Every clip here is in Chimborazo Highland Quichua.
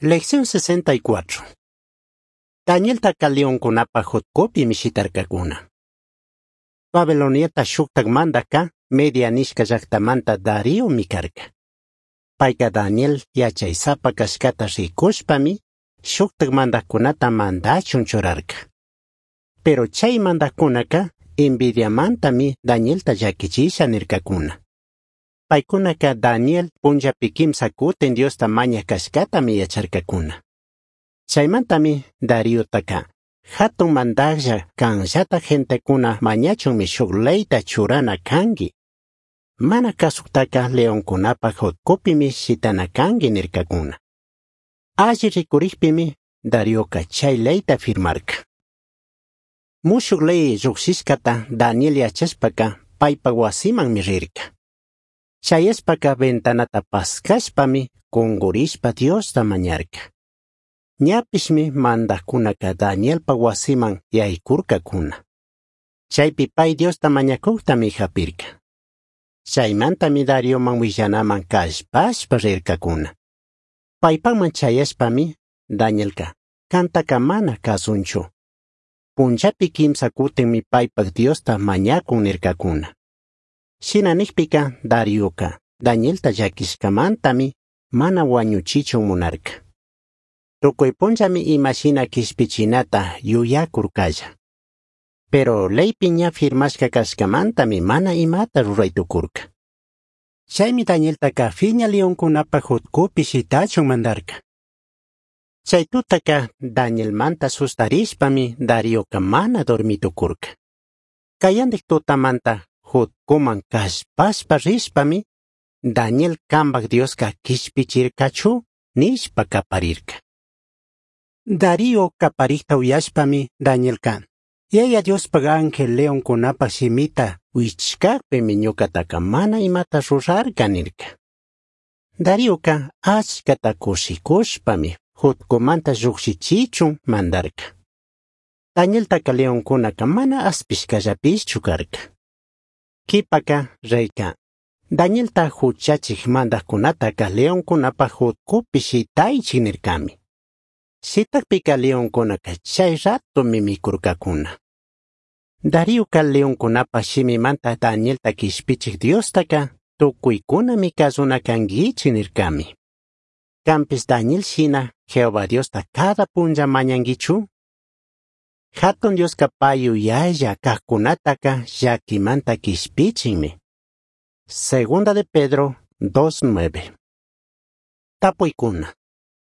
Lección 64. Danieltaca leoncunapaj jutcupimi shitarcacuna. Babiloniata shujtaj mandajca Media nishca llajtamanta Dariomi carca. Paica Daniel yachaisapa cashcata ricushpami shujtaj mandajcunata mandachun churarca. Pero chay mandajcunaca envidiamantami Danielta llaquichisha nircacuna. Paicunaca Daniel punllapi quimsa cutin Diosta mañaj cashcatami yacharcacuna. Chaimantami Dariotaca jatun mandajlla canllata gentecuna mañachunmi shuj leyta churana cangui. Mana kazujtaca leoncunapaj jutcupimi shitana cangui nircacuna. Alli ricurijpimi Darioca chay leyta firmarca. Mushuj ley llujshishcata Daniel yachashpaca paipaj huasimanmi rirca. Chayashpaca ventanata pascashpami cungurishpa Diosta mañarca. Ñapishmi mandajcunaca Danielpaj huasiman yaicurcacuna. Chaypi pay Diosta mañacujtami japirca. Chaymantami Darioman huillanaman callpashpa rircacuna. Paipaman chayashpami Danielca cantaca mana kazunchu. Punllapi quimsa cutinmi paipaj Diosta mañacun nircacuna. Shina nijpica Darioca Danielta llaquishcamantami mana huañuchichun munarca. Tucui punllami ima shina quishpichinata yuyacurcalla. Pero leypi ña firmashca cashcamantami mana imata rurai tucurca. Chaymi Danieltaca fiña leoncunapaj jutcupi shitachun mandarca. Chay tutaca Danielmanta sustarishpami Darioca mana dormi tucurca. Cayandij tutamanta jutcuman callpashpa rishpami Daniel cambaj Diosca quishpichircachu nishpa caparirca. Darío caparijta uyashpami Danielca Yaya Diospaj ángel leoncunapaj shimita huichcajpimi ñucataca mana imata rurarca nirca. Darioca achcata cushicushpami jutcumanta llujshichichun mandarca. Danieltaca leoncunaca mana aspishcallapishchu carca. Quipaca reyca Danielta juchachij mandajcunataca leoncunapaj jutcupi shitaichij nircami. Shitajpica leoncunaca chay ratomi micurcacuna. Darioca leoncunapaj shimimanta Danielta quishpichij Diostaca tucuicunami cazuna canguichij nircami. Canpish Daniel shina Jehová Diosta cada punlla mañanguichu? Jatun Diosca pai yuyalla cajcunataca llaquimanta quishpichinmi. Segunda de Pedro 2.9. Tapuicuna.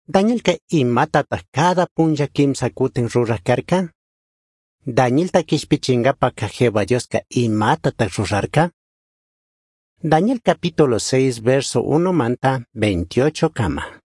Danielca imatataj cada punlla quimsa cutin ruraj carca? Danielta quishpichingapaca Jehová Diosca imatataj rurarca? Daniel capítulo 6 verso 1 manta 28 cama.